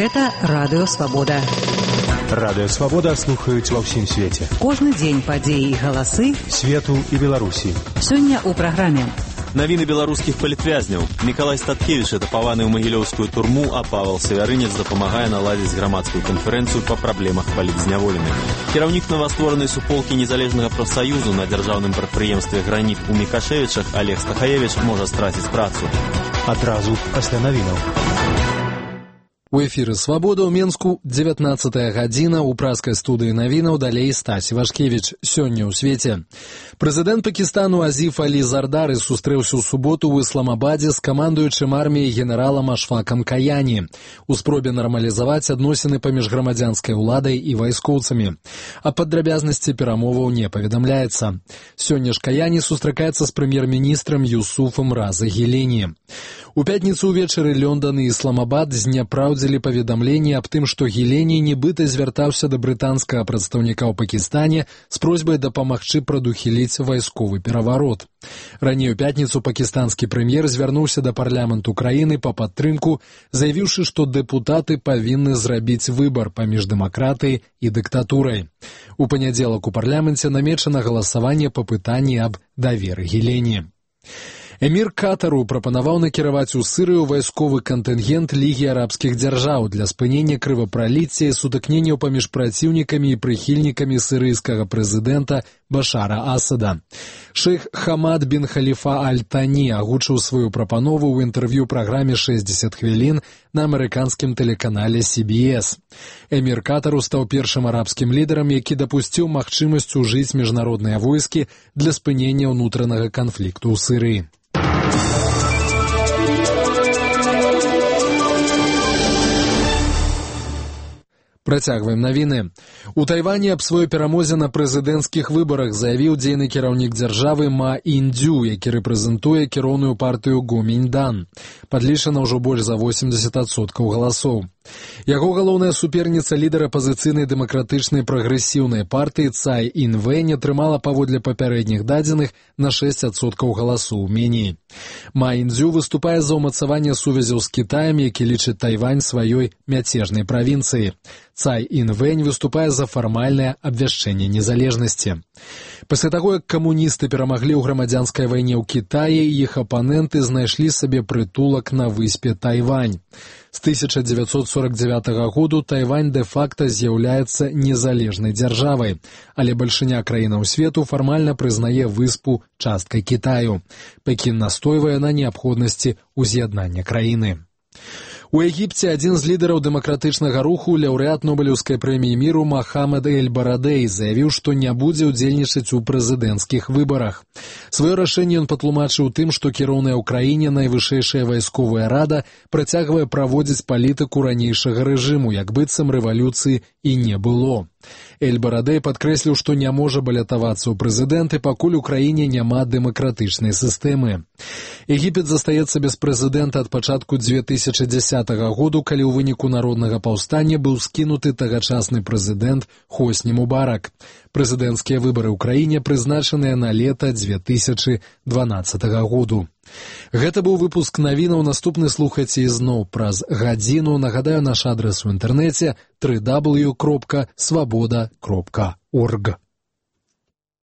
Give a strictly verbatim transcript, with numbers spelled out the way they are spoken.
Гэта Радыё Свабода. Радыё Свабода слухаюць ва ўсім свеце. Кожны дзень падзеі і галасы свету і Беларусі. Сёння ў праграме. Навіны беларускіх палітвязняў. Мікалай Статкевіч атапаваны ў магілёўскую турму, а Павел Савярынец дапамагае наладзіць грамадскую канферэнцыю па праблемах палітзняволеных. Кіраўнік новастворанай суполкі незалежнага прафсаюзу на дзяржаўным прадпрыемстве «Граніт» у Мікашевічах Олег Стахаевич можа страціць працу. Адразу пасля навінаў. У эфіры «Свабода» ў Менску, дзевятнаццатая гадзіна, у праскай студыі навінаў, далей Стась Івашкевіч. Сёння ў свеце. Прэзідэнт Пакістану Азіф Алі Зардары сустрэўся ў суботу ў Ісламабадзе з камандуючым арміяй генералам Ашфакам Каяні у спробе нармалізаваць адносіны паміж грамадзянскай уладай і вайскоўцамі. А падрабязнасці перамоваў не паведамляецца. Сёння ж Каяні сустракаецца з прэм'ер-міністрам Юсуфам Раза Гілені. У пятніцу ўвечары Лондон і Ісламабад зняпраўдзілі паведамленне аб тым, што Гілені нібыта звяртаўся да брытанскага прадстаўніка ў Пакістане з просьбай дапамагчы прадухіліць вайсковы пераварот. Раней у пятніцу пакістанскі прэм'ер звярнуўся да парламенту краіны па падтрымку, заявіўшы, што дэпутаты павінны зрабіць выбар паміж дэмакратыяй і дыктатурай. У панядзелак у парламенце намечана галасаванне па пытанні аб даверы Гілені. Эмір Катару прапанаваў накіраваць у Сырыю вайсковы кантынгент Лігі арабскіх дзяржаў для спынення крывапраліцця і сутыкненняў паміж праціўнікамі і прыхільнікамі сырыйскага прэзідэнта Башара Асада. Шэйх Хамад бін Халіфа Аль-Тані агучыў сваю прапанову ў інтэрв'ю праграме шэсцьдзесят хвілін на амерыканскім тэлеканале Си Би Эс. Эмір Катару стаў першым арабскім лідарам, які дапусціў магчымасць ужыць міжнародныя войскі для спынення ўнутранага канфлікту ў Сырыі. Працягваем навіны. У Тайвані аб сваёй перамозе на прэзідэнцкіх выбарах заявіў дзейны кіраўнік дзяржавы Ма Індзю, які рэпрэзентуе кіроўную партыю Гоміньдан. Падлічана ўжо больш за восемьдесят адсоткаў галасоў. Яго галоўная суперніца, лідар апазіцыйнай дэмакратычнай прагрэсіўнай партыі Цай Інвэнь, атрымала паводле папярэдніх дадзеных на шэсць адсоткаў галасоў меней. Ма Індзю выступае за ўмацаванне сувязяў з Кітаем, які лічыць Тайвань сваёй мяцежнай правінцыяй. Цай Інвэнь выступае за фармальнае абвяшчэнне незалежнасці. Пасля таго, як камуністы перамаглі ў грамадзянскай вайне ў Кітаі, іх апаненты знайшлі сабе прытулак на выспе Тайвань. З тысяча дзевяцьсот сорок дзевятага году Тайвань дэ-факта з'яўляецца незалежнай дзяржавай, але бальшыня краінаў свету фармальна прызнае выспу часткай Кітаю. Пекін настойвае на неабходнасці ўз'яднання краіны. У Егіпце адзін з лідараў дэмакратычнага руху, лаўрэат Нобелеўскай прэміі міру Мохамед Эль-Барадэй, заявіў, што не будзе ўдзельнічаць у прэзідэнцкіх выбарах. Сваё рашэнне ён патлумачыў тым, што кіроўная ў краіне найвышэйшая вайсковая рада працягвае праводзіць палітыку ранейшага рэжыму, як быццам рэвалюцыі і не было. Эль-Барадэй падкрэсліў, што не можа балятавацца ў прэзідэнты, пакуль у краіне няма дэмакратычнай сістэмы. Егіпет застаецца без прэзідэнта ад пачатку дзве тысячы дзесятага году, калі ў выніку народнага паўстання быў скінуты тагачасны прэзідэнт Хосні Мубарак. Прэзідэнцкія выбары ў краіне прызначаныя на лета дзве тысячы дванаццатага году. Гэта быў выпуск навінаў, наступны слухайце ізноў праз гадзіну. Нагадаю, наш адрес у інтэрнэце дабл ю дабл ю дабл ю кропка свабода кропка орг.